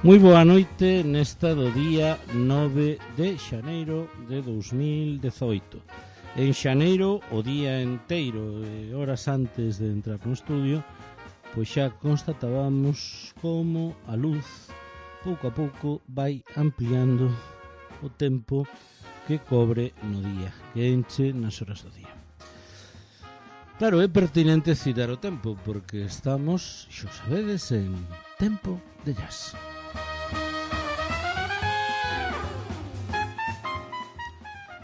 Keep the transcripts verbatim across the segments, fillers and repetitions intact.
Moi boa noite nesta do día nove de xaneiro de dous mil dezoito. En xaneiro, o día enteiro e horas antes de entrar no estudio, pois xa constatábamos como a luz pouco a pouco vai ampliando o tempo que cobre no día, que enche nas horas do día. Claro, é pertinente citar o tempo, porque estamos, xo sabedes, en tempo de jazz.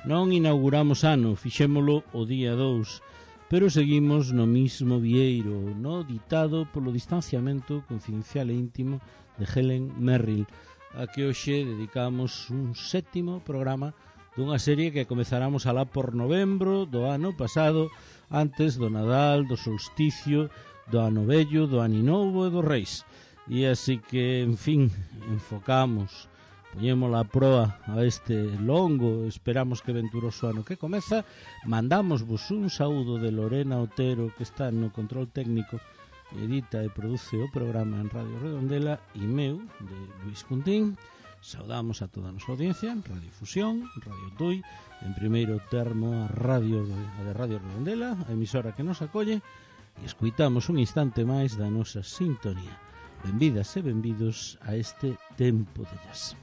Non inauguramos ano, fixémolo o día dous, pero seguimos no mismo vieiro, no ditado polo distanciamento confidencial e íntimo de Helen Merrill, a que hoxe dedicamos un sétimo programa dunha serie que comezaramos alá por novembro do ano pasado, antes do Nadal, do solsticio, do ano vello, do aninovo e do Reis. E así que, en fin, enfocamos, poñemos a proa a este longo, esperamos que venturoso ano que comeza. Mandamosvos un saúdo de Lorena Otero, que está no control técnico, edita e produce o programa en Radio Redondela, e meu, de Luis Cuntín. Saudamos a toda a nosa audiencia en Radio Fusión, Radio Tui, en primeiro termo a radio a de Radio Redondela, a emisora que nos acolle, e escuitamos un instante máis da nosa sintonía. Benvidas e benvidos a este tempo de jazz.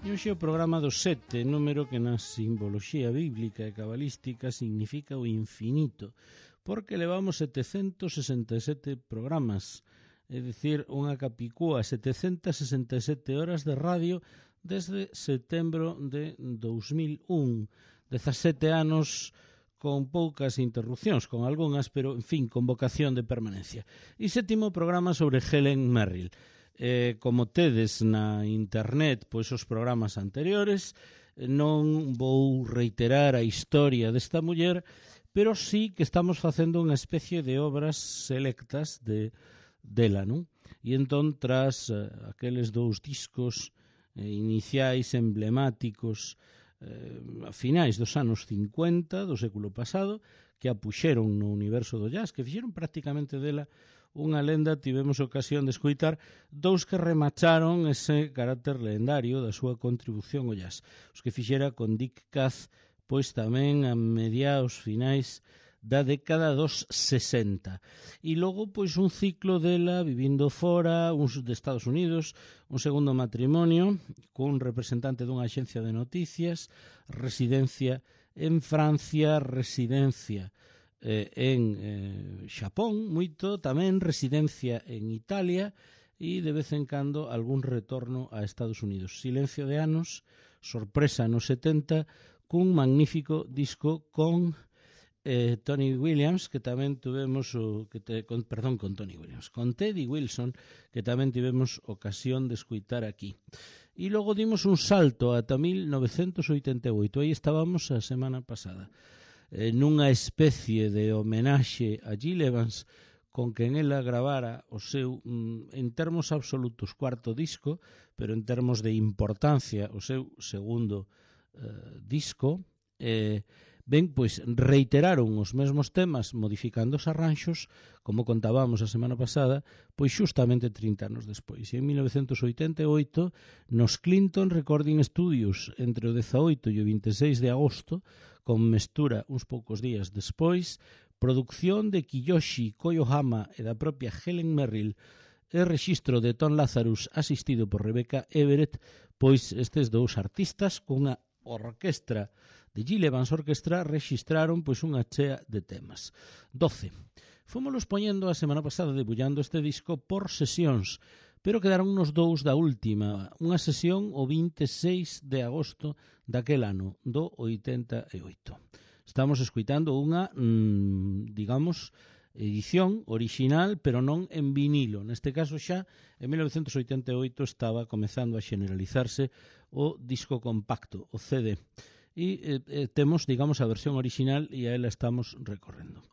E hoxe o programa do sete, número que na simboloxía bíblica e cabalística significa o infinito, porque levamos setecentos sesenta e sete programas, é dicir, unha capicúa, setecentas sesenta e sete horas de radio desde setembro de dous mil un, dezasete anos con poucas interrupcións, con algunhas, pero, en fin, con vocación de permanencia. E sétimo programa sobre Helen Merrill. Eh, como tedes na internet, pois os programas anteriores, non vou reiterar a historia desta muller, pero sí que estamos facendo unha especie de obras selectas de dela, non? E entón, tras eh, aqueles dous discos eh, iniciais emblemáticos eh, a finais dos anos cincuenta do século pasado, que a puxeron no universo do jazz, que fixeron prácticamente dela unha lenda, tivemos ocasión de escoitar dous que remacharon ese carácter lendario da súa contribución ao jazz, os que fixera con Dick Cass, pois tamén a mediados finais da década dos sesenta. E logo, pois, un ciclo dela vivindo fora, uns de Estados Unidos, un segundo matrimonio cun representante dunha axencia de noticias, residencia en Francia, residencia eh, en eh, Xapón, moito, tamén residencia en Italia e de vez en cando algún retorno a Estados Unidos. Silencio de anos, sorpresa nos setenta, cun magnífico disco con eh, Tony Williams, que tamén tuvemos o, que te, con, perdón, con Tony Williams, con Teddy Wilson, que tamén tivemos ocasión de escuitar aquí. E logo dimos un salto ata mil novecentos oitenta e oito, aí estábamos a semana pasada, eh, nunha especie de homenaxe a Gil Evans, con quen ela gravara o seu, en termos absolutos, cuarto disco, pero en termos de importancia, o seu segundo Uh, disco. eh, ben, pois reiteraron os mesmos temas modificando os arranxos, como contábamos a semana pasada, pois xustamente trinta anos despois. E en mil novecentos oitenta e oito, nos Clinton Recording Studios, entre o dezaoito e o vinte e seis de agosto, con mestura uns poucos días despois, producción de Kiyoshi Koyohama e da propia Helen Merrill, e rexistro de Tom Lazarus asistido por Rebecca Everett, pois estes dous artistas cunha orquestra de Gil Evans Orquestra rexistraron pois unha chea de temas. doce. Fomoslos poñendo a semana pasada debullando este disco por sesións, pero quedaron nos dous da última, unha sesión o vinte e seis de agosto daquel ano, do oitenta e oito. Estamos escuitando unha, mmm, digamos, edición original, pero non en vinilo. Neste caso xa, en mil novecentos oitenta e oito estaba comezando a generalizarse o disco compacto, o C D. E eh, temos, digamos, a versión original e a ela estamos recorrendo.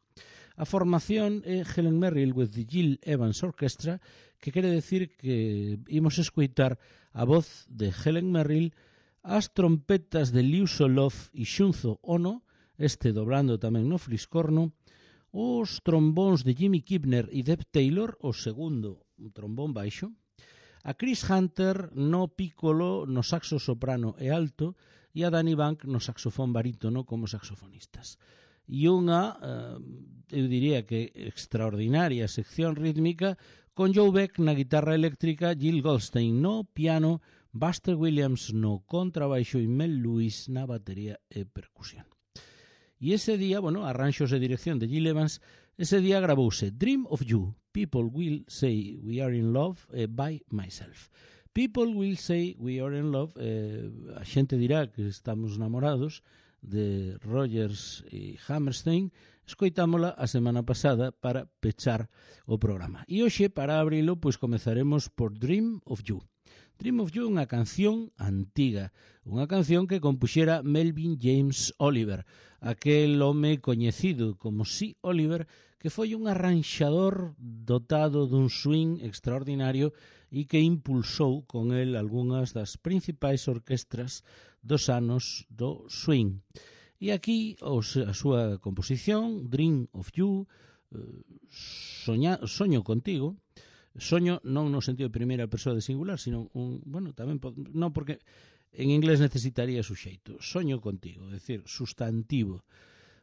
A formación é Helen Merrill with the Gil Evans Orchestra, que quere decir que imos escoitar a voz de Helen Merrill, as trompetas de Liu Solov e Shunzo Ono, este dobrando tamén no fliscorno, os trombóns de Jimmy Kibner e Deb Taylor, o segundo, un trombón baixo, a Chris Hunter no piccolo, no saxo soprano e alto, e a Danny Bank no saxofón barítono como saxofonistas. E unha, eh, eu diría que extraordinaria sección rítmica con Joe Beck na guitarra eléctrica, Jill Goldstein no piano, Buster Williams no contrabaixo e Mel Lewis na batería e percusión. E ese día, bueno, arranxos de dirección de Gil Evans, ese día gravouse Dream of You, People Will Say We Are In Love, eh, by Myself. People Will Say We Are In Love, eh, a xente dirá que estamos namorados, de Rogers e Hammerstein, escoitámola a semana pasada para pechar o programa. E hoxe, para abrilo, pois comezaremos por Dream of You. Dream of You é unha canción antiga, unha canción que compuxera Melvin James Oliver, aquel home coñecido como C. Oliver, que foi un arranxador dotado dun swing extraordinario e que impulsou con el algunhas das principais orquestras dos anos do swing. E aquí os, a súa composición, Dream of You, soña, Soño contigo, soño non no sentido de primeira persoa de singular, sino un, bueno, tamén non, porque en inglés necesitaría suxeito, soño contigo, é dicir, sustantivo.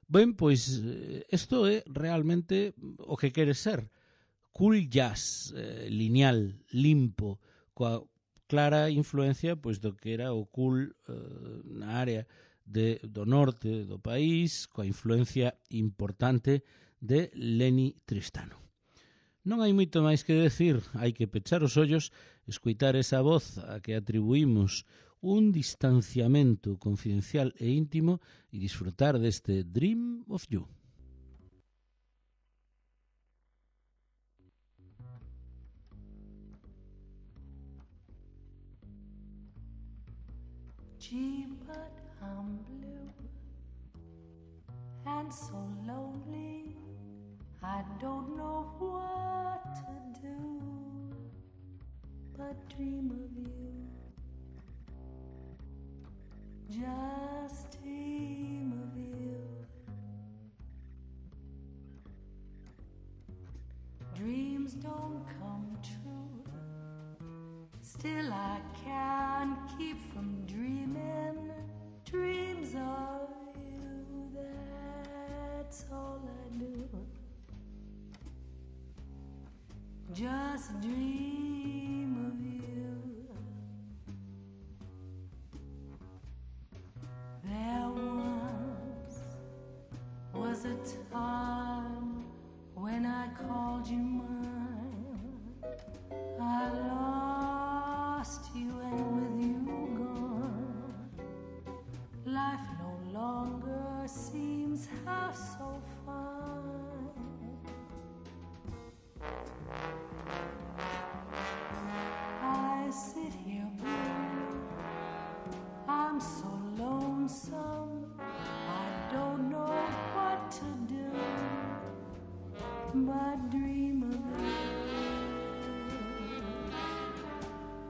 Ben, pois isto é realmente o que quere ser, cool jazz, eh, lineal, limpo, coa clara influencia pois do que era o cool eh, na área de, do norte do país, coa influencia importante de Lenny Tristano. Non hai moito máis que decir, hai que pechar os ollos, escoitar esa voz a que atribuímos un distanciamento confidencial e íntimo e disfrutar deste Dream of You. Gee, but I'm blue and so lonely, I don't know what to do but dream of you, just dream of you. Dreams don't come true, still I can't keep from dreaming dreams of you, that's all I do, just dream of you. There once was a time when I called you mine, I lost you and with you gone, life no longer seems half so fine. I sit here blue, I'm so lonesome, I don't know what to do but dream of you,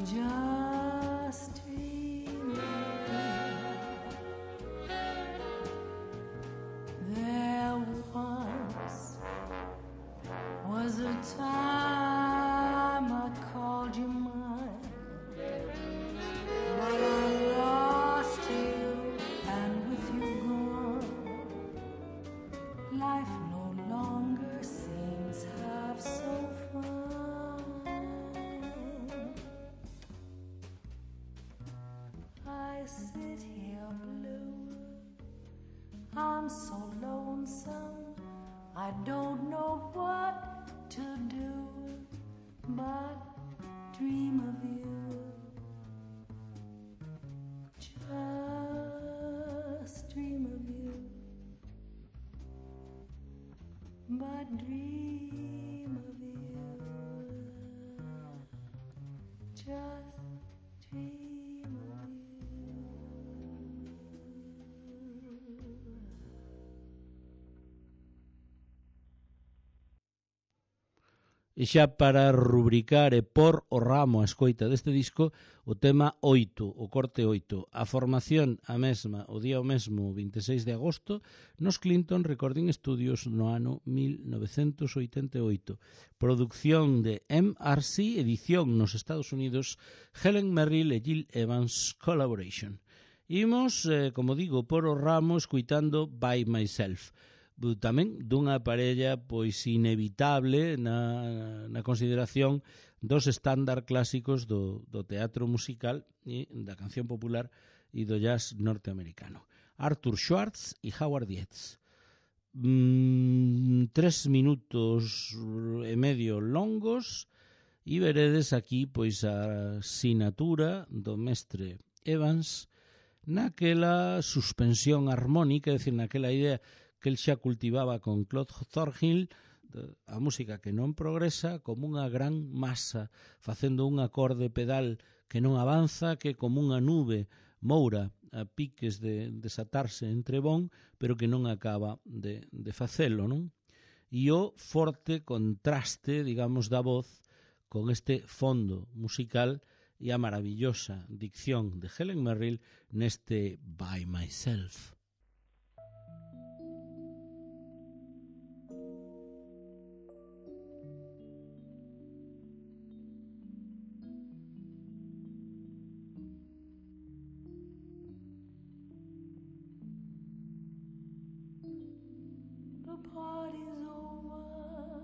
just dream of you. There once was a time I called you mine, but I lost you and with you gone, life no longer seems half so fine. I sit here blue, I'm so lonesome, I don't know what to do but dream of you, just dream of you, but dream of you, just dream of you. E xa para rubricar e por o ramo a escoita deste disco, o tema oito, o corte oito. A formación a mesma, o día o mesmo, vinte e seis de agosto, nos Clinton Recording Studios no ano mil novecentos oitenta e oito. Producción de M R C, edición nos Estados Unidos, Helen Merrill e Gil Evans Collaboration. Imos, eh, como digo, por o ramo escuitando By Myself. Tamén dunha parella pois inevitable na, na consideración dos estándar clásicos do, do teatro musical e da canción popular e do jazz norteamericano. Arthur Schwartz e Howard Dietz. Mm, tres minutos e medio longos e veredes aquí pois a sinatura do mestre Evans naquela suspensión armónica, é dicir, naquela idea que el xa cultivaba con Claude Thornhill, a música que non progresa como unha gran masa, facendo un acorde pedal que non avanza, que como unha nube moura a piques de desatarse entre bon, pero que non acaba de, de facelo, non? E o forte contraste, digamos, da voz con este fondo musical e a maravillosa dicción de Helen Merrill neste By Myself. Party's over,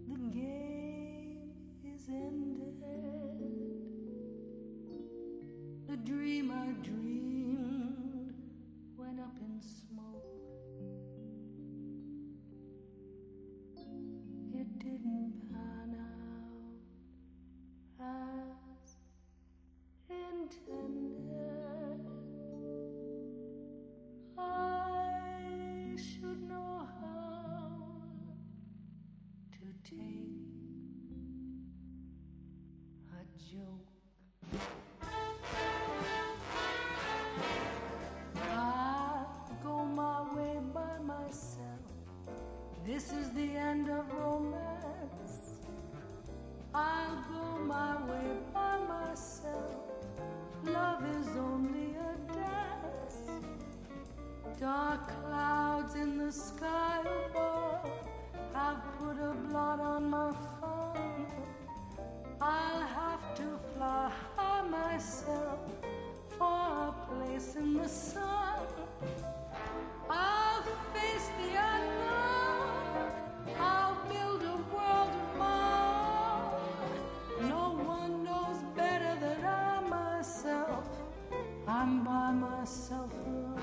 the game is ended, the dream I dreamed went up in smoke, it didn't pan out as intended. I should know how to take a joke. I'll go my way by myself. This is the end of romance. I'll go my way by myself. Love is only a dance. Dark clouds in the sky above have put a blot on my fun. I'll have to fly high myself for a place in the sun. I'll face the unknown. I'll build a world of my own. No one knows better than I myself. I'm by myself alone.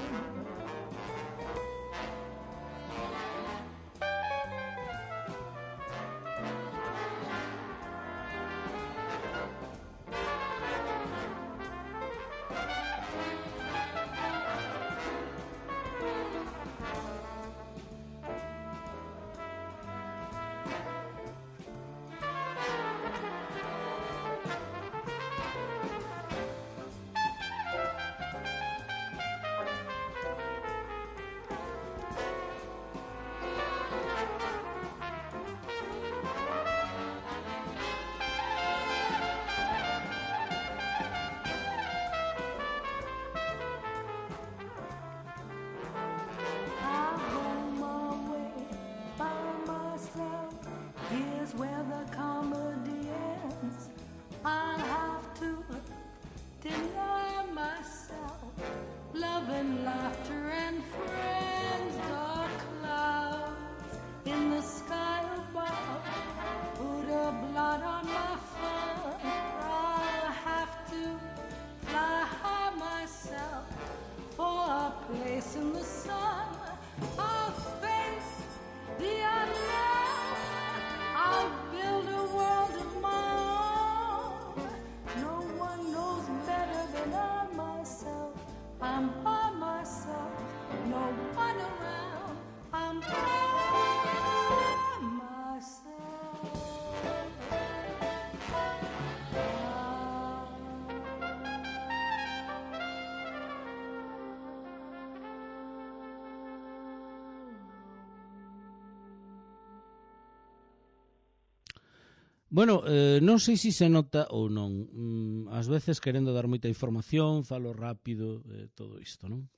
Bueno, eh, non sei se se nota ou non. Mm, ás veces, querendo dar moita información, falo rápido, eh, todo isto, non?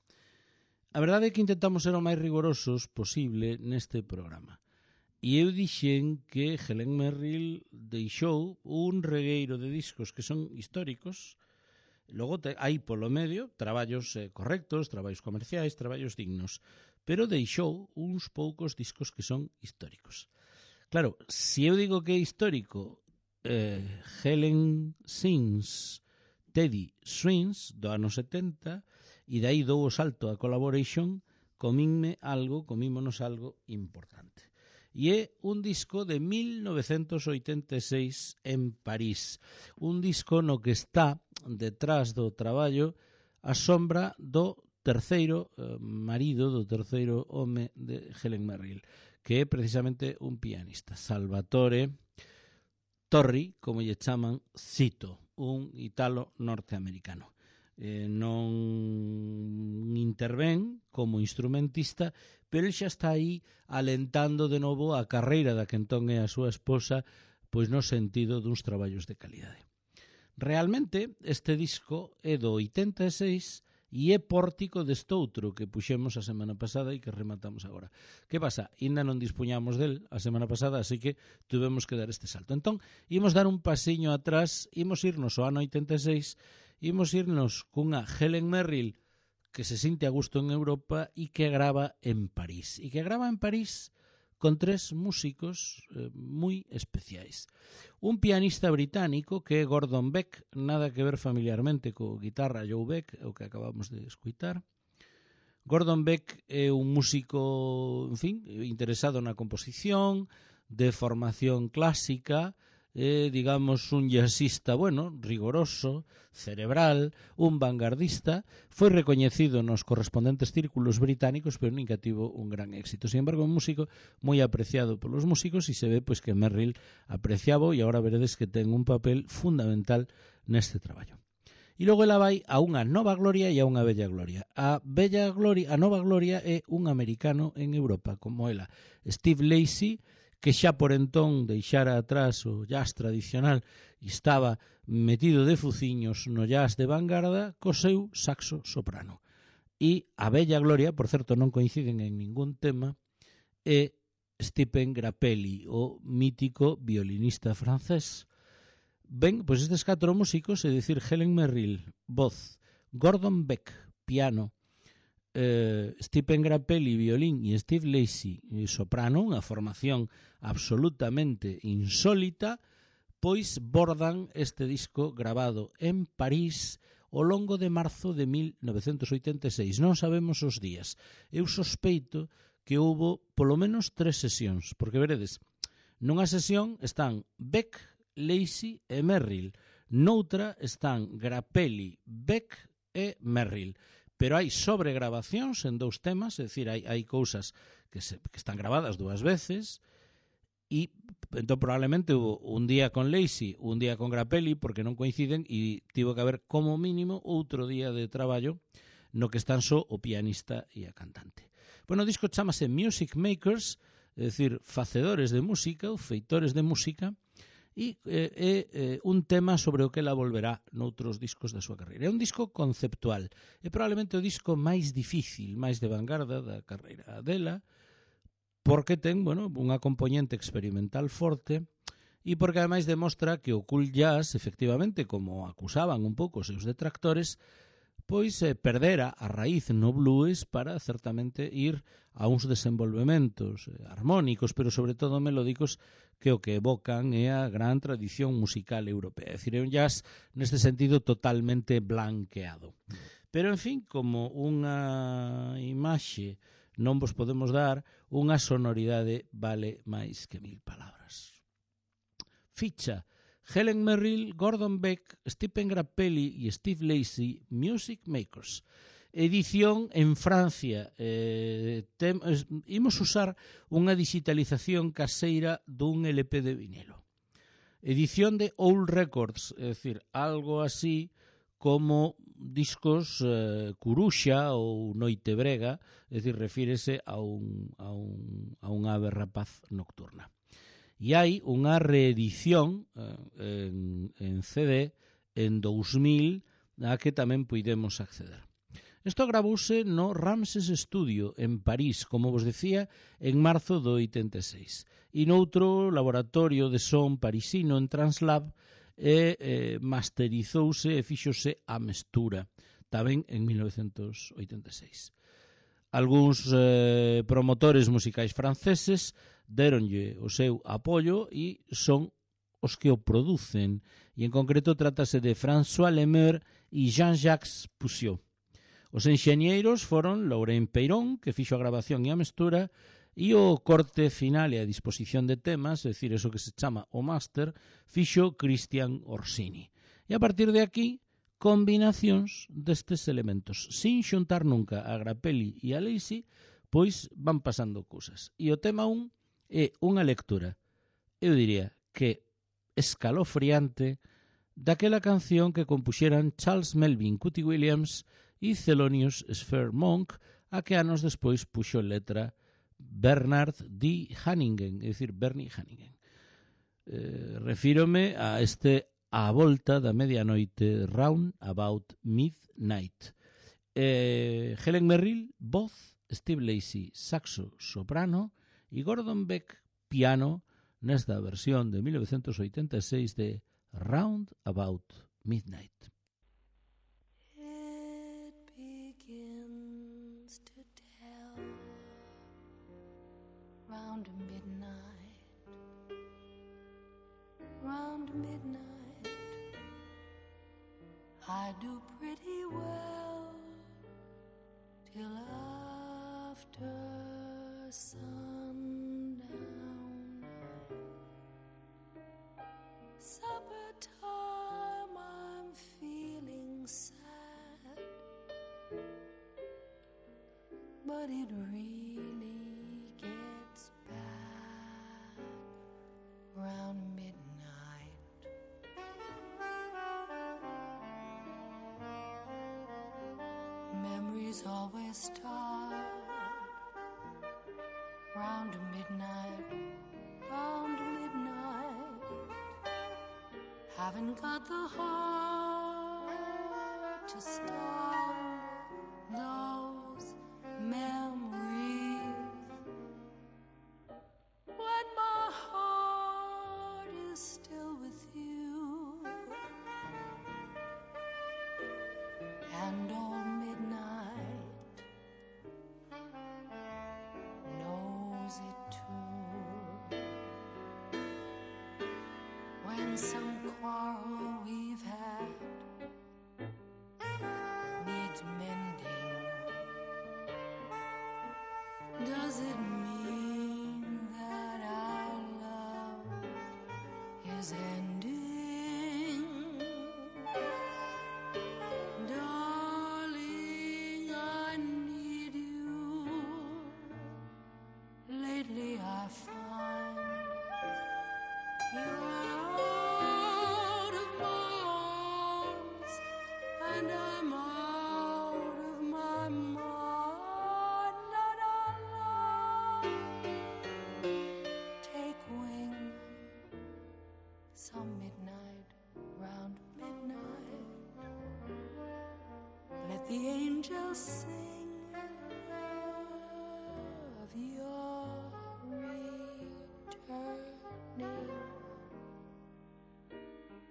A verdade é que intentamos ser o máis rigorosos posible neste programa. E eu dixen que Helen Merrill deixou un regueiro de discos que son históricos. Logo te, hai polo medio traballos eh, correctos, traballos comerciais, traballos dignos, pero deixou uns poucos discos que son históricos. Claro, se eu digo que é histórico eh, Helen Sings Teddy Swings do ano setenta, e dai dou o salto a Collaboration, comínme algo, comímonos algo importante. E é un disco de mil novecentos oitenta e seis en París, un disco no que está detrás do traballo a sombra do terceiro eh, marido, do terceiro home de Helen Merrill, que é precisamente un pianista, Salvatore Torri, como lle chaman, Cito, un italo norteamericano. Eh, non intervén como instrumentista, pero ele xa está aí alentando de novo a carreira da que entón é a súa esposa, pois no sentido duns traballos de calidade. Realmente, este disco é do oitenta e seis e é pórtico deste outro que puxemos a semana pasada e que rematamos agora. Que pasa? Ainda non dispuñamos del a semana pasada, así que tuvemos que dar este salto. Entón, imos dar un pasiño atrás, imos irnos ao ano oitenta e seis, imos irnos cunha Helen Merrill que se sinte a gusto en Europa e que grava en París. E que grava en París con tres músicos eh, moi especiais. Un pianista británico que é Gordon Beck, nada que ver familiarmente co guitarra Joe Beck, o que acabamos de escuitar. Gordon Beck é un músico, en fin, interesado na composición, de formación clásica, eh, digamos, un jazzista, bueno, rigoroso, cerebral, un vanguardista, foi recoñecido nos correspondentes círculos británicos, pero nunca tivo un gran éxito. Sin embargo, un músico moi apreciado polos músicos e se ve pois que Merrill apreciaba e agora veredes que ten un papel fundamental neste traballo. E logo ela vai a unha nova gloria e a unha bella gloria. A bella gloria, a nova gloria é un americano en Europa, como ela, Steve Lacy, que xa por entón deixara atrás o jazz tradicional e estaba metido de fuciños no jazz de vanguarda co seu saxo soprano. E a bella gloria, por certo, non coinciden en ningún tema, é Stephen Grappelli, o mítico violinista francés. Ben, pois estes catro músicos, é dicir, Helen Merrill, voz, Gordon Beck, piano, eh, Stephen Grappelli, violín, e Steve Lacy, soprano, unha formación absolutamente insólita, pois bordan este disco grabado en París ao longo de marzo de mil novecentos oitenta e seis. Non sabemos os días. Eu sospeito que houbo polo menos tres sesións, porque veredes, nunha sesión están Beck, Lacy e Merrill, noutra están Grappelli, Beck e Merrill. Pero hai sobregrabacións en dous temas, é dicir, hai, hai cousas que, se, que están grabadas dúas veces, e entón probablemente hubo un día con Lacy, un día con Grappelli, porque non coinciden, e tivo que haber como mínimo outro día de traballo no que están só o pianista e a cantante. Bueno, o disco chamase Music Makers, é dicir, facedores de música ou feitores de música, e é eh, eh, un tema sobre o que ela volverá noutros discos da súa carreira. É un disco conceptual, é probablemente o disco máis difícil, máis de vanguarda da carreira dela, porque ten, bueno, unha componente experimental forte e porque ademais demostra que o cool jazz, efectivamente, como acusaban un pouco os seus detractores, pois eh, perdera a raíz no blues para certamente ir a uns desenvolvementos eh, armónicos, pero sobre todo melódicos, que o que evocan é a gran tradición musical europea. É dicir, é un jazz neste sentido totalmente blanqueado. Pero, en fin, como unha imaxe non vos podemos dar, unha sonoridade vale máis que mil palabras. Ficha: Helen Merrill, Gordon Beck, Stephen Grappelli e Steve Lacy, Music Makers. Edición en Francia. Eh, tem, eh, imos usar unha digitalización caseira dun L P de vinilo. Edición de Old Records, é dicir, algo así como discos eh, Curuxa ou Noite Brega, é dicir, refírese a un, a un, a un ave rapaz nocturna. E hai unha reedición eh, en, en C D en dous mil a que tamén puidemos acceder. Isto gravouse no Ramses Studio, en París, como vos decía, en marzo do oitenta e seis. E noutro laboratorio de son parisino en Translab e eh, masterizouse e fíxose a mestura, tamén en mil novecentos oitenta e seis. Algúns eh, promotores musicais franceses deronlle o seu apoio e son os que o producen, e en concreto trátase de François Lemeur e Jean-Jacques Poussiot. Os enxeñeiros foron Laurent Peirón, que fixo a grabación e a mestura, e o corte final e a disposición de temas, é dicir, eso que se chama o máster, fixo Christian Orsini. E a partir de aquí, combinacións destes elementos. Sin xuntar nunca a Grappelli e a Lacy, pois van pasando cousas. E o tema un é unha lectura, eu diría que escalofriante, daquela canción que compuxeran Charles Melvin Cootie Williams e Thelonious Sphere Monk, a que anos despois puxo letra Bernard D. Hanningen, é dicir, Bernie Hanningen. Eh, refírome a este A volta da medianoite, Round About Midnight. Eh, Helen Merrill, voz, Steve Lacy, saxo, soprano, e Gordon Beck, piano, nesta versión de mil novecentos oitenta e seis de Round About Midnight. Round midnight, round midnight, I do pretty well till after sundown. Supper time, I'm feeling sad, but it really gets bad round midnight. Memories always start round midnight, round midnight. Haven't got the heart to stand those memories. When my heart is still with you, and old midnight knows it too. When some quarrel we've had needs mending, does it mean that our love is ending? Darling, I need you. Lately I find you're out of my arms, and I'm out of my mind. La, la, la. Take wing some midnight, round midnight. Let the angels sing of your returning.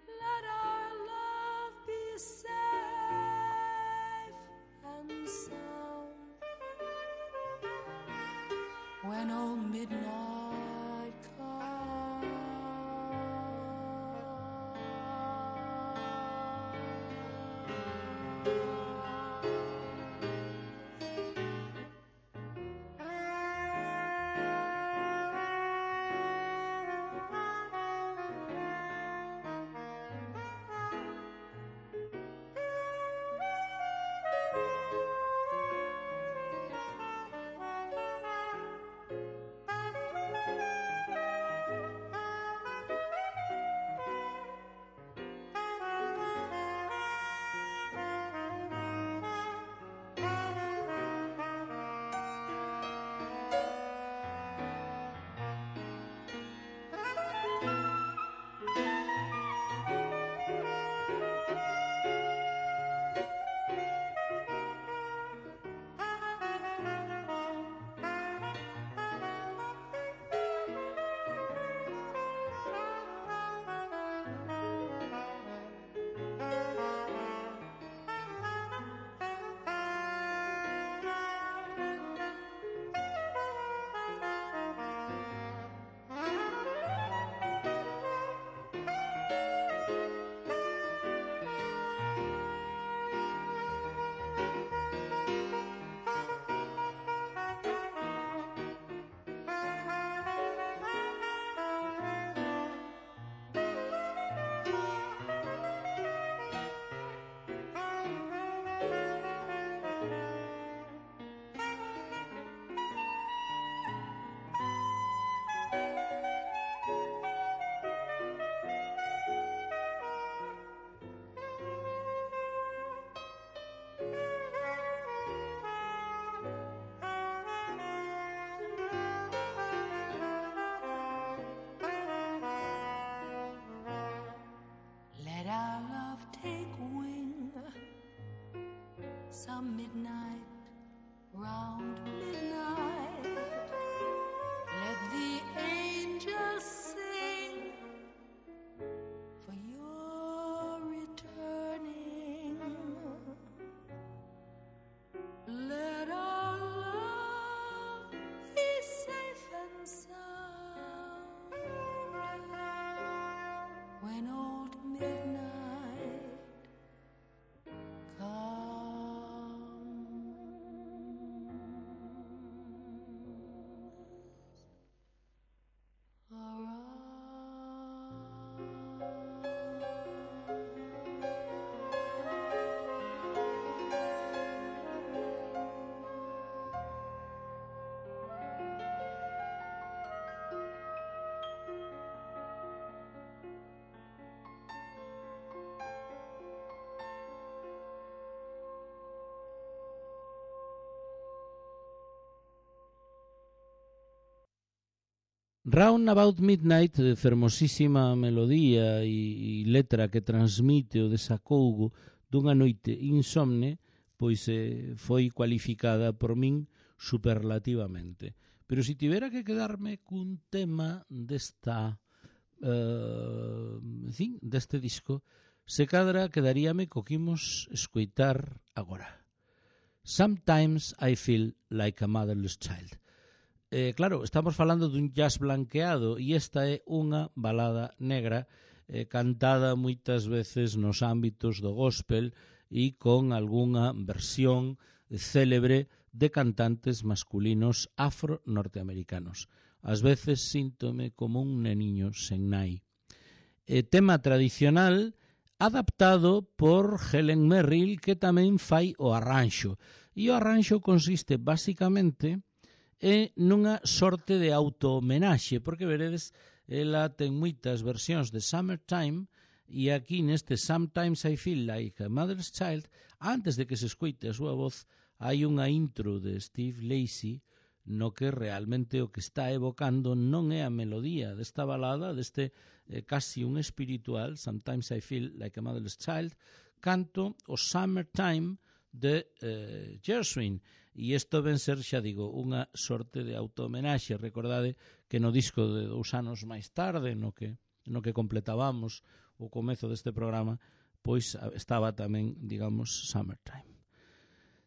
Let our love be safe and sound when old midnight comes. some midnight, round midnight, let the angels sing for your returning. Let our love be safe and sound when old midnight comes around. Round About Midnight, fermosísima melodía e, e letra que transmite o desacougo dunha noite insomne, pois eh, foi cualificada por min superlativamente. Pero se si tivera que quedarme cun tema desta uh, en fin, deste disco, se cadra quedaríame co que imos escoitar agora. Sometimes I feel like a motherless child. Eh, claro, estamos falando dun jazz blanqueado e esta é unha balada negra eh, cantada moitas veces nos ámbitos do gospel e con algunha versión célebre de cantantes masculinos afro-norteamericanos. Ás veces síntome como un neniño sen nai. Eh, tema tradicional adaptado por Helen Merrill, que tamén fai o arranxo. E o arranxo consiste basicamente é nunha sorte de auto-homenaxe, porque veredes, ela ten moitas versións de Summertime, e aquí neste Sometimes I Feel Like a Mother's Child, antes de que se escoite a súa voz, hai unha intro de Steve Lacy, no que realmente o que está evocando non é a melodía desta balada, deste eh, casi un espiritual, Sometimes I Feel Like a Motherless Child, canto o Summertime de eh, Gershwin, e isto ven ser, xa digo, unha sorte de auto-homenaxe. Recordade que no disco de dous anos máis tarde, no que, no que completábamos o comezo deste programa, pois estaba tamén, digamos, Summertime.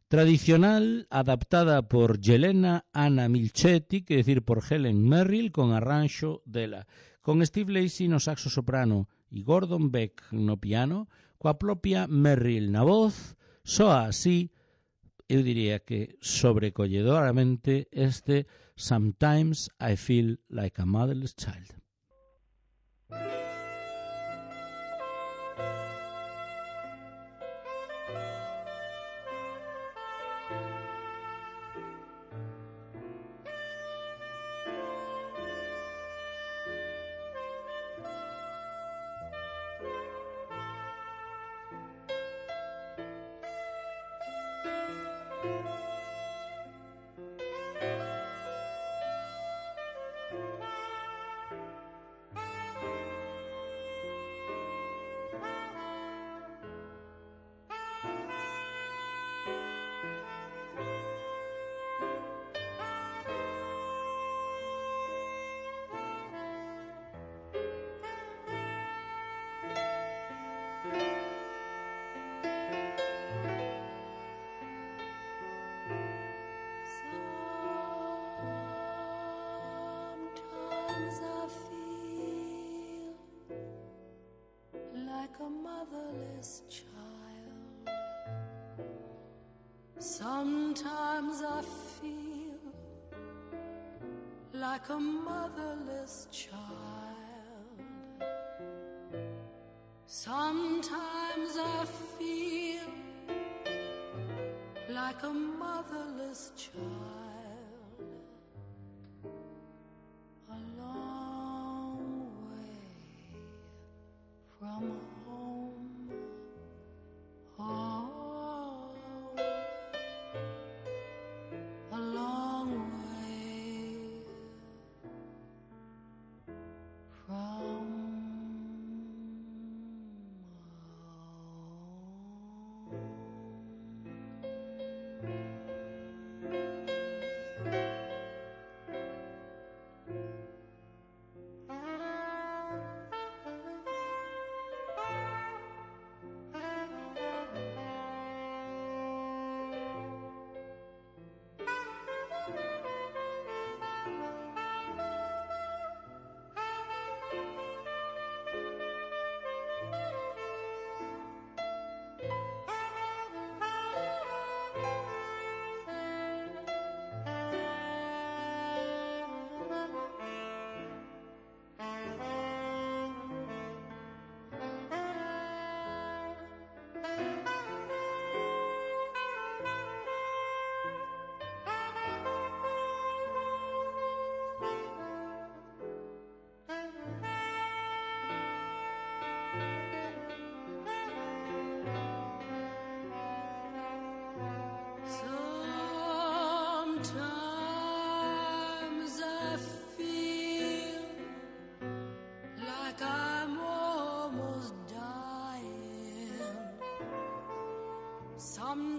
Tradicional, adaptada por Jelena Anna Milchetti, que decir por Helen Merrill, con arranxo dela, con Steve Lacy no saxo soprano e Gordon Beck no piano, coa propia Merrill na voz. Soa así, eu diría que sobrecolledoramente, este Sometimes I Feel Like a Motherless Child. Sometimes I feel like a motherless child. Sometimes I feel like a motherless child. A long way from home. Oh.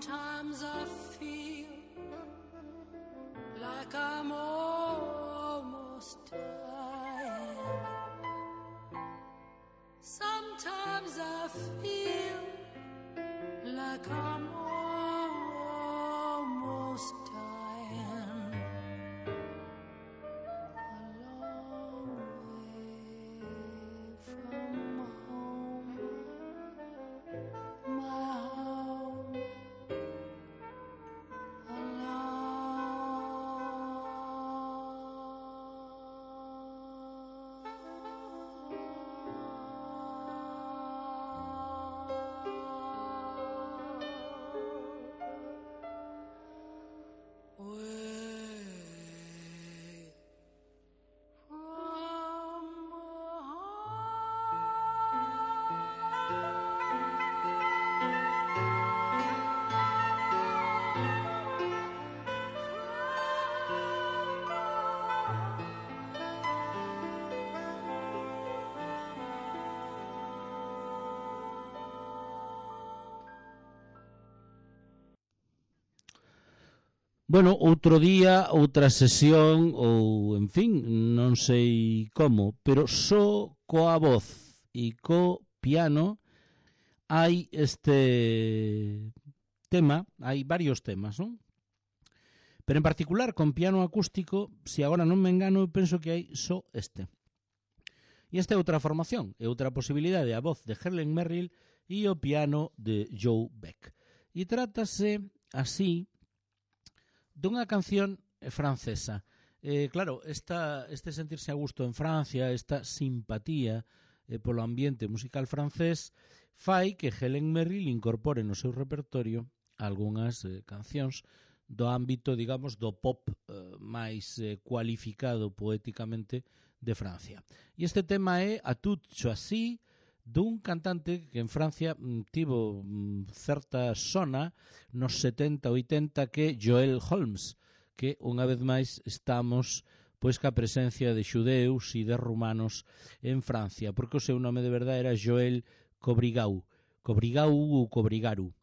Sometimes I feel like I'm almost dying. Sometimes I feel like I'm almost dying. A long way from home, my home. Bueno, outro día, outra sesión, ou, en fin, non sei como, pero só coa voz e co piano hai este tema, hai varios temas, non? Pero en particular, con piano acústico, se agora non me engano, eu penso que hai só este. E esta é outra formación, é outra posibilidade, a voz de Helen Merrill e o piano de Joe Beck. E trátase así dunha canción francesa. Eh, claro, esta, este sentirse a gusto en Francia, esta simpatía eh, polo ambiente musical francés, fai que Helen Merrill incorpore no seu repertorio algunhas eh, cancións do ámbito, digamos, do pop eh, máis eh, cualificado poéticamente de Francia. E este tema é A Toute Choisie, dun cantante que en Francia mm, tivo mm, certa sona nos setenta oitenta, que é Joel Holmes, que unha vez máis estamos pois ca presencia de xudeus e de rumanos en Francia, porque o seu nome de verdade era Joel Cobrigau, Cobrigau ou Cobrigaru,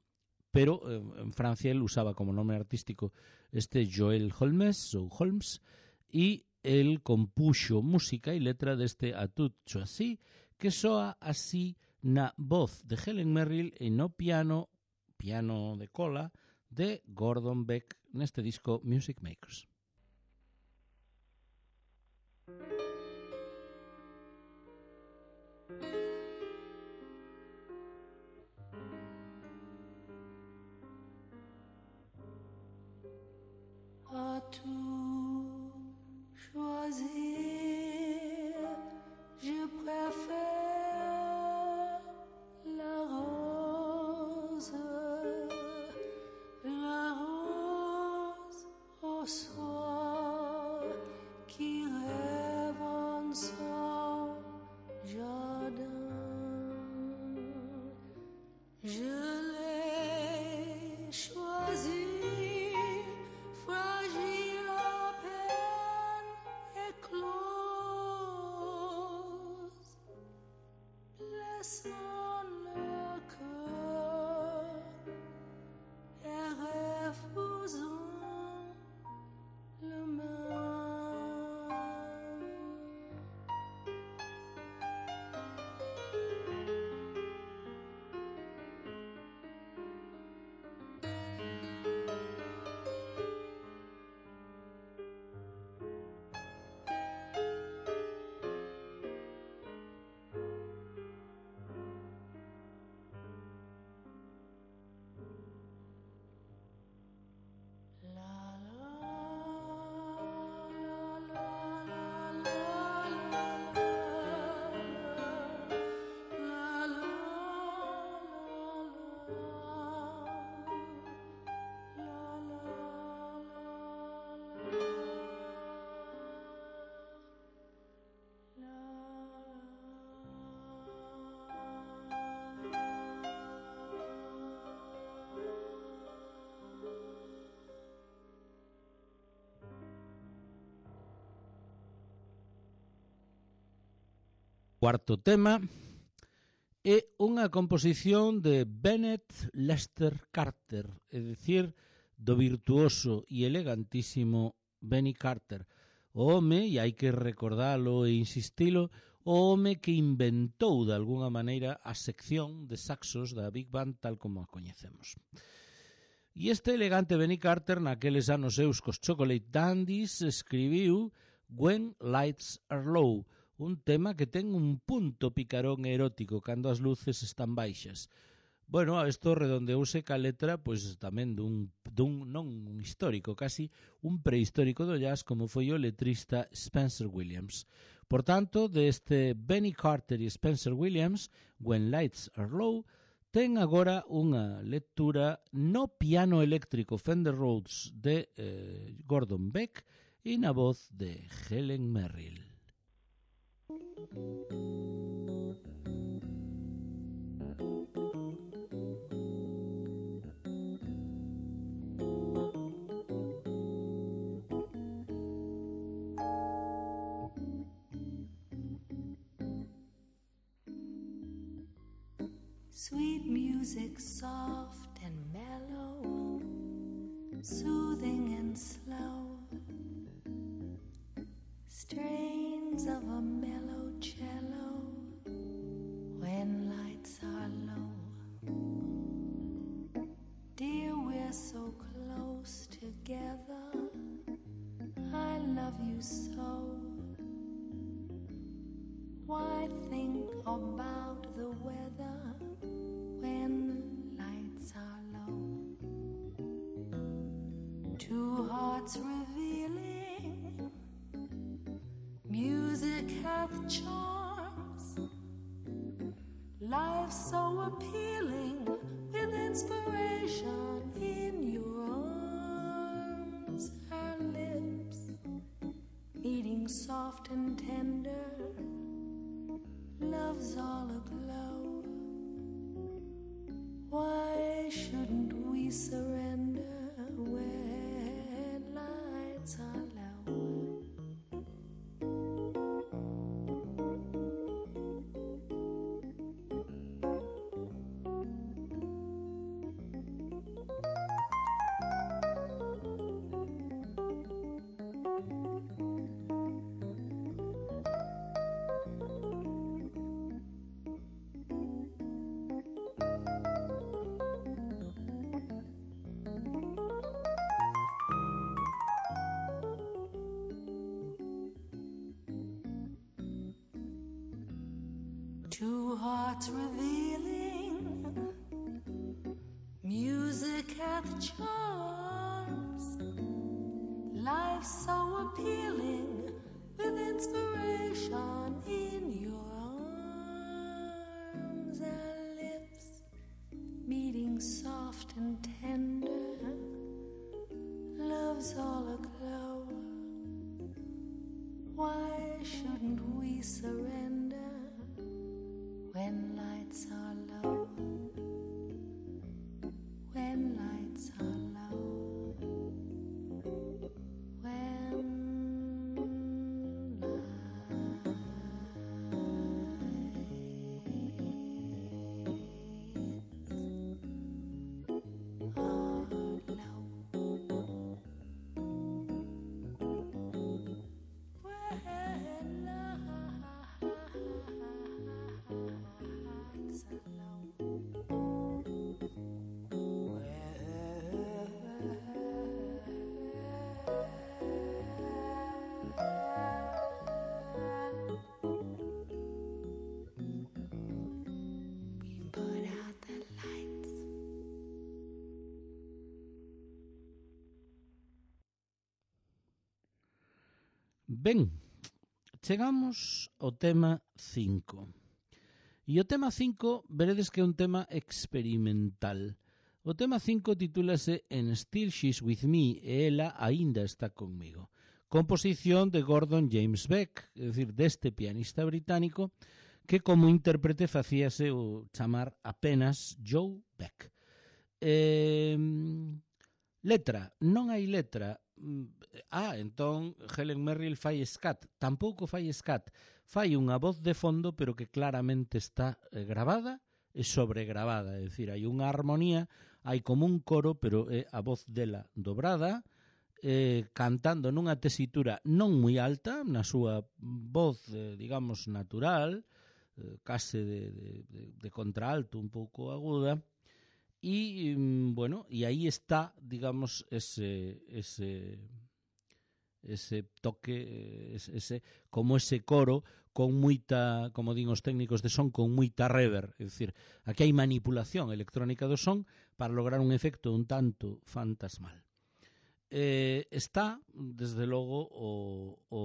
pero eh, en Francia ele usaba como nome artístico este Joel Holmes ou Holmes, e el compuxo música e letra deste A Toute Choisie, que soa así na voz de Helen Merrill e no piano, piano de cola, de Gordon Beck neste disco Music Makers. À tout choisir, je préfère la rose, la rose au soir qui rêve en son jardin. Je l'ai choisi, fragile à peine éclose, laissant le cœur et refusant le mien. Cuarto tema é unha composición de Bennett Lester Carter, é dicir, do virtuoso e elegantísimo Benny Carter, o home, e hai que recordalo e insistilo, o home que inventou de alguna maneira a sección de saxos da Big Band tal como a coñecemos. E este elegante Benny Carter, naqueles anos seus cos Chocolate Dandies, escribiu When Lights Are Low, un tema que ten un punto picarón erótico cando as luces están baixas. Bueno, isto redondeouse ca letra, pois tamén dun, dun non un histórico, casi un prehistórico do jazz como foi o letrista Spencer Williams. Por tanto, deste Benny Carter e Spencer Williams, When Lights Are Low, ten agora unha lectura no piano eléctrico Fender Rhodes de eh, Gordon Beck e na voz de Helen Merrill. Sweet music, soft and mellow, soothing and slow, strains of a mellow cello when lights are low. Dear, we're so close together, I love you so. Why think about the weather when lights are low? Two hearts revealing, music hath charms, life so appealing, with inspiration in your arms. Our lips meeting soft and tender, love's all aglow. Why shouldn't we surrender when lights are low? Two hearts revealing, music hath charms, life so appealing, with inspiration in your arms. Our lips meeting soft and tender, love's all aglow. Why shouldn't we surrender when lights are low? When lights are low. When Ben, chegamos ao tema cinco. E o tema cinco, veredes que é un tema experimental. O tema cinco titúlase And Still She's With Me, e ela aínda está conmigo. Composición de Gordon James Beck, é dicir, deste pianista británico, que como intérprete facíase o chamar apenas Joe Beck. Eh, letra, non hai letra, ah, entón Helen Merrill fai scat. Tampouco fai scat. Fai unha voz de fondo, pero que claramente está eh, gravada e sobregravada. É dicir, hai unha armonía, hai como un coro, pero é a voz dela dobrada, eh, cantando nunha tesitura non moi alta, na súa voz, eh, digamos, natural, eh, case de, de, de, de contraalto, un pouco aguda, e, bueno, e aí está, digamos, ese, ese, ese toque, ese, como ese coro con moita, como din os técnicos de son, con moita reverb, é dicir, aquí hai manipulación electrónica do son para lograr un efecto un tanto fantasmal. Eh, está, desde logo, o, o,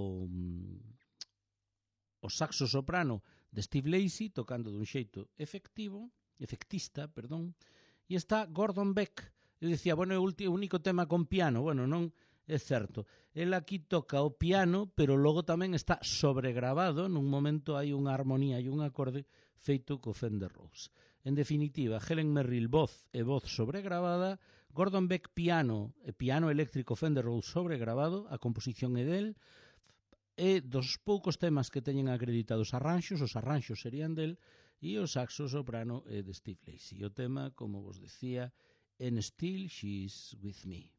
o saxo soprano de Steve Lacy tocando dun xeito efectivo, efectista, perdón, e está Gordon Beck. Eu dicía, bueno, é o único tema con piano. Bueno, non é certo. El aquí toca o piano, pero logo tamén está sobregravado. Nun momento hai unha armonía e un acorde feito co Fender Rhodes. En definitiva, Helen Merrill voz e voz sobregravada, Gordon Beck piano e piano eléctrico Fender Rhodes sobregravado, a composición é del, e dos poucos temas que teñen acreditados arranxos, os arranxos serían del, e o saxo soprano é de Steve Lacy. O tema, como vos decía, And Still She's With Me.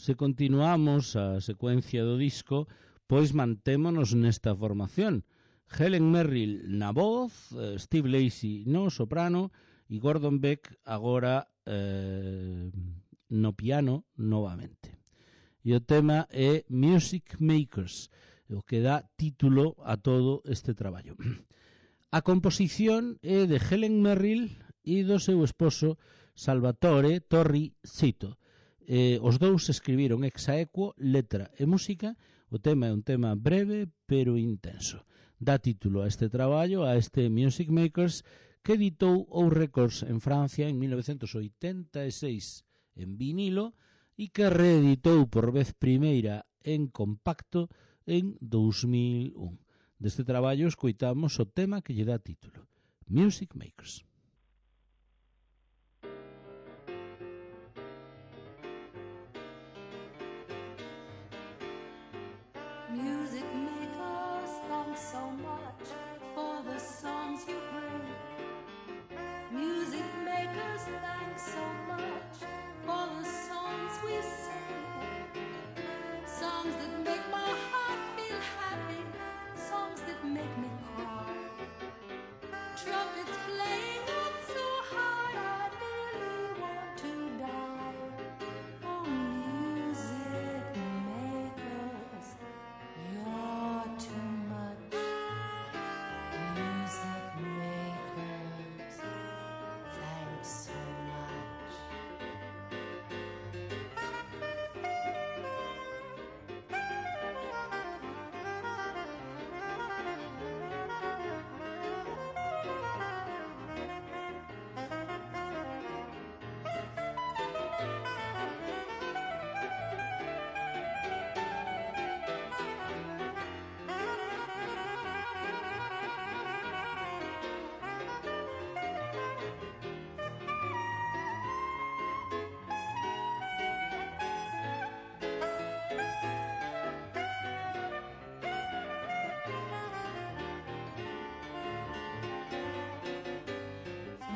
Se continuamos a secuencia do disco, pois mantémonos nesta formación. Helen Merrill na voz, Steve Lacy no soprano e Gordon Beck agora eh, no piano novamente. E o tema é Music Makers, o que dá título a todo este traballo. A composición é de Helen Merrill e do seu esposo Salvatore Torri Cito. Eh, os dous escribiron ex aequo letra e música. O tema é un tema breve pero intenso. Dá título a este traballo, a este Music Makers, que editou O Records en Francia en mil novecentos oitenta e seis en vinilo e que reeditou por vez primeira en compacto en dous mil un. Deste traballo escoitamos o tema que lle dá título, Music Makers. Music makers, thanks so much for the songs you bring. Music makers, thanks so much for the songs we sing. Songs that make my heart feel happy, songs that make me cry. Trumpets playing out so hard, I nearly want to die. Oh, music makers, you're too much. Music makers, thanks so much.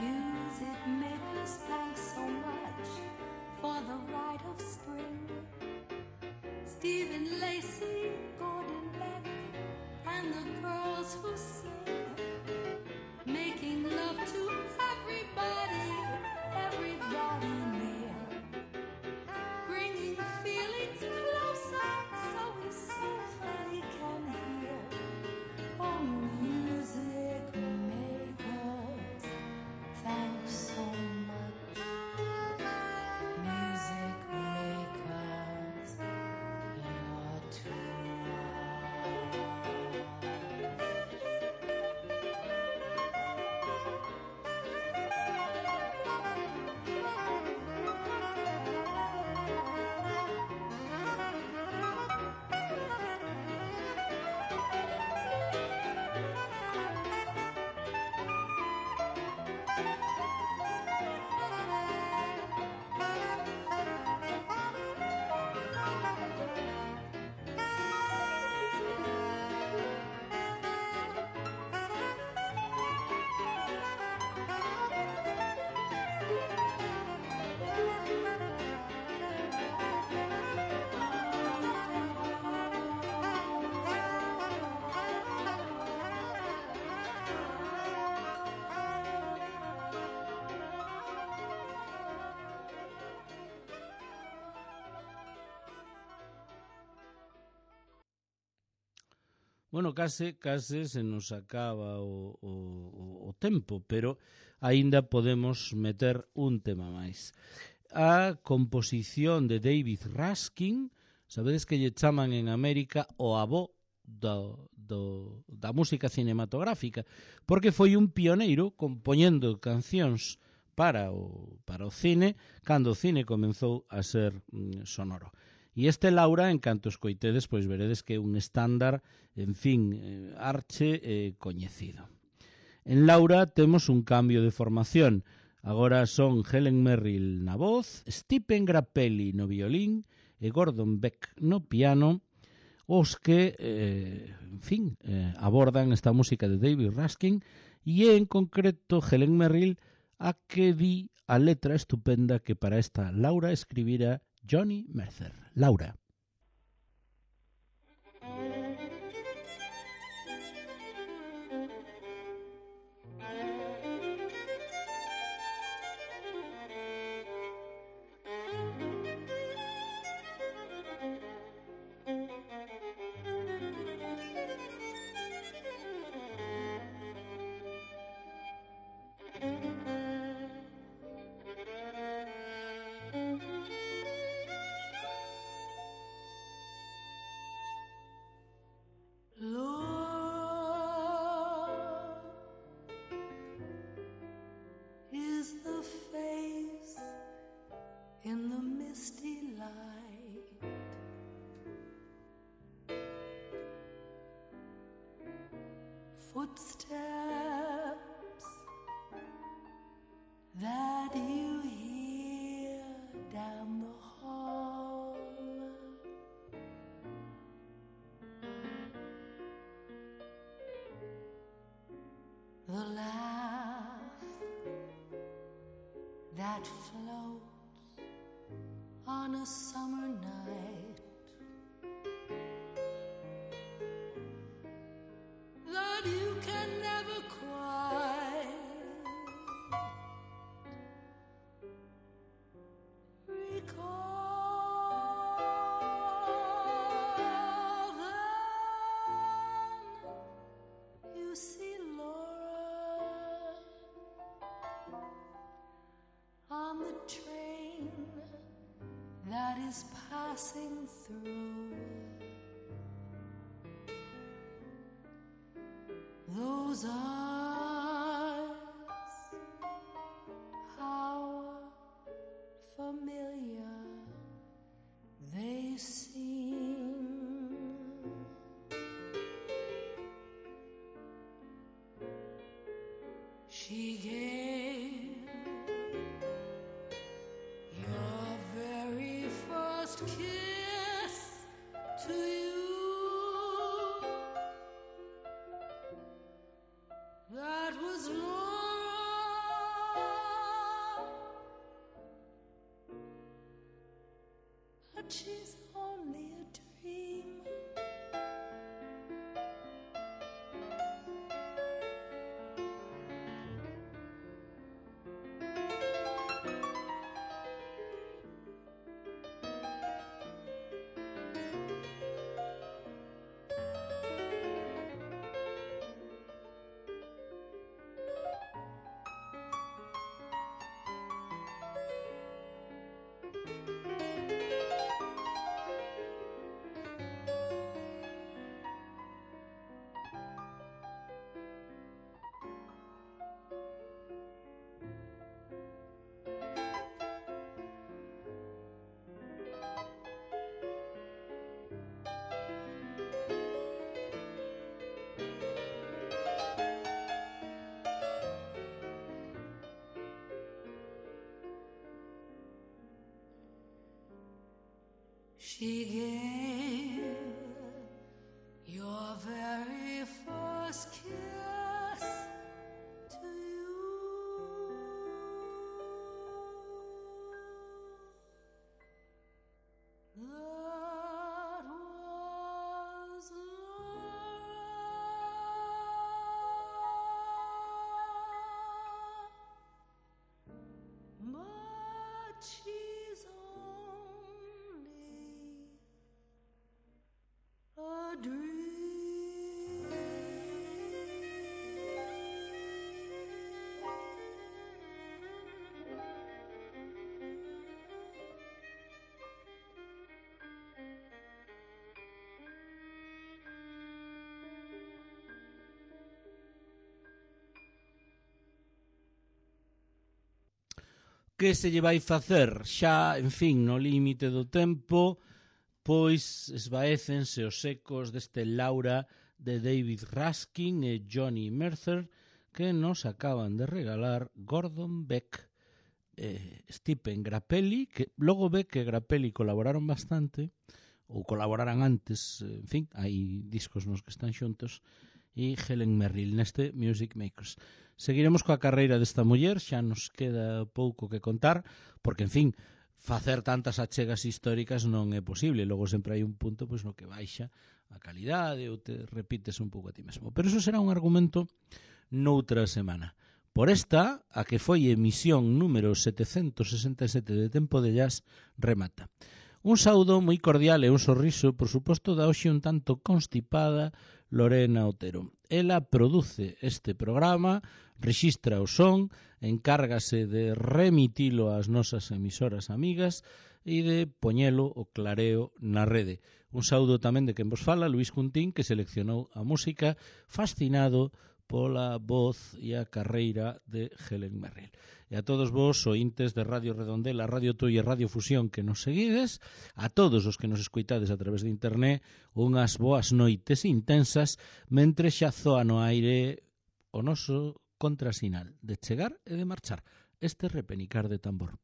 Music makers, thanks so much for the rite of spring. Stephen Lacy, Gordon Beck, and the girls who sing, making love to everybody, everybody near, bringing feelings closer so we softly can hear. Oh, music makers, thanks so much. Music makers, you're too Bueno, case, case se nos acaba o, o, o tempo, pero aínda podemos meter un tema máis. A composición de David Raskin, sabedes que lle chaman en América o avó do, do, da música cinematográfica, porque foi un pioneiro compoñendo cancións para o, para o cine, cando o cine comenzou a ser mm, sonoro. E este Laura, en canto escoitedes, pois veredes que é un estándar, en fin, eh, arche eh, coñecido. En Laura temos un cambio de formación. Agora son Helen Merrill na voz, Stephen Grappelli no violín e Gordon Beck no piano, os que, eh, en fin, eh, abordan esta música de David Raskin, e en concreto Helen Merrill a que di a letra estupenda que para esta Laura escribira Johnny Mercer. Laura. Footsteps that you hear down the hall, the laugh that floats on a summer night, that you can never quite recall. Then you see Laura on the train that is passing through. Those eyes, how familiar they seem. She gave your very first kiss to you. That was Laura, but she's only a dream. She gave your very first kiss to you. That was Laura, but she's a dream. Que se lle vai facer? Xa, en fin, no límite do tempo, pois esvaécense os ecos deste Laura de David Raskin e Johnny Mercer que nos acaban de regalar Gordon Beck e Stephen Grappelli, que logo ve que Grappelli colaboraron bastante, ou colaboraran antes, en fin, hai discos nos que están xuntos, e Helen Merrill neste Music Makers. Seguiremos coa carreira desta muller, xa nos queda pouco que contar, porque, en fin, facer tantas achegas históricas non é posible. Logo sempre hai un punto pois, no que baixa a calidade ou te repites un pouco a ti mesmo. Pero eso será un argumento noutra semana. Por esta, a que foi emisión número setecentos sesenta e sete de Tempo de Jazz, remata. Un saúdo moi cordial e un sorriso, por suposto, da hoxe un tanto constipada Lorena Otero. Ela produce este programa, rexistra o son, encárgase de remitilo ás nosas emisoras amigas e de poñelo o clareo na rede. Un saúdo tamén de quen vos fala, Luís Juntín, que seleccionou a música fascinado pola voz e a carreira de Helen Merrill. E a todos vos, ointes de Radio Redondela, Radio Tui e Radio Fusión que nos seguides, a todos os que nos escoitades a través de internet, unhas boas noites intensas, mentre xa zoa no aire o noso contrasinal de chegar e de marchar, este repenicar de tambor.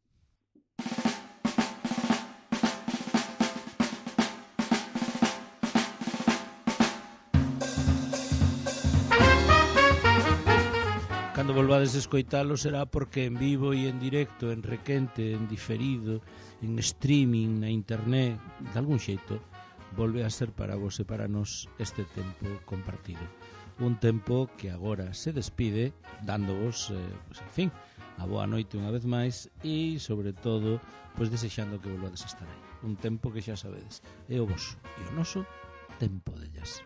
Cando volvades a escoitalo será porque en vivo e en directo, en requente, en diferido, en streaming, na internet, de algún xeito, volve a ser para vos e para nos este tempo compartido. Un tempo que agora se despide dándovos, eh, pues, en fin, a boa noite unha vez máis e, sobre todo, pues, desexando que volvades a estar aí. Un tempo que xa sabedes, é o voso e o noso Tempo de Jazz.